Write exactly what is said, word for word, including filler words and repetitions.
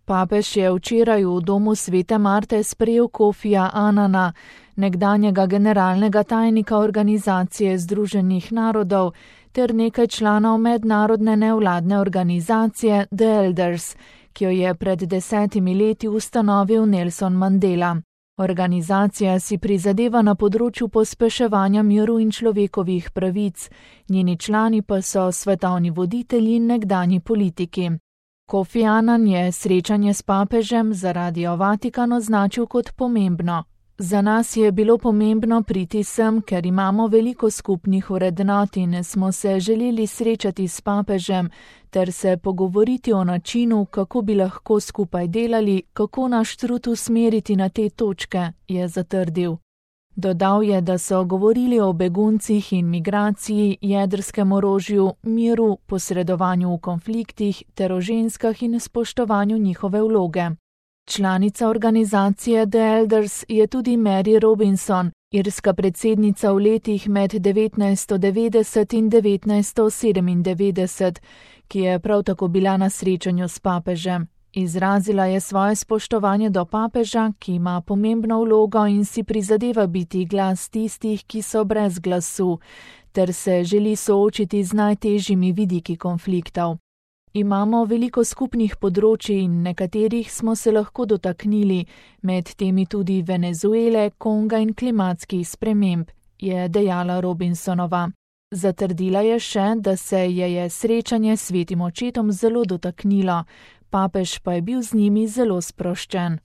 Papež je včeraj v domu Svete Marte sprejel Kofija Anana, nekdanjega generalnega tajnika Organizacije združenih narodov, ter nekaj članov mednarodne nevladne organizacije The Elders, ki jo je pred desetimi leti ustanovil Nelson Mandela. Organizacija si prizadeva na področju pospeševanja miru in človekovih pravic, njeni člani pa so svetovni voditelji in nekdanji politiki. Kofi Anan je srečanje s papežem za Radio Vatikan označil kot pomembno. Za nas je bilo pomembno priti sem, ker imamo veliko skupnih vrednot in smo se želeli srečati s papežem ter se pogovoriti o načinu, kako bi lahko skupaj delali, kako naš trud usmeriti na te točke, je zatrdil. Dodal je, da so govorili o beguncih in migraciji, jedrskem orožju, miru, posredovanju v konfliktih ter o ženskah in spoštovanju njihove vloge. Članica organizacije The Elders je tudi Mary Robinson, irska predsednica v letih med devetnajststo devetdeset in devetnajststo sedemindevetdeset, ki je prav tako bila na srečanju s papežem. Izrazila je svoje spoštovanje do papeža, ki ima pomembno vlogo in si prizadeva biti glas tistih, ki so brez glasu, ter se želi soočiti z najtežjimi vidiki konfliktov. Imamo veliko skupnih področij in nekaterih smo se lahko dotaknili, med temi tudi Venezuele, Konga in klimatskih sprememb, je dejala Robinsonova. Zatrdila je še, da se je, je srečanje s svetim očetom zelo dotaknilo, papež pa je bil z njimi zelo sproščen.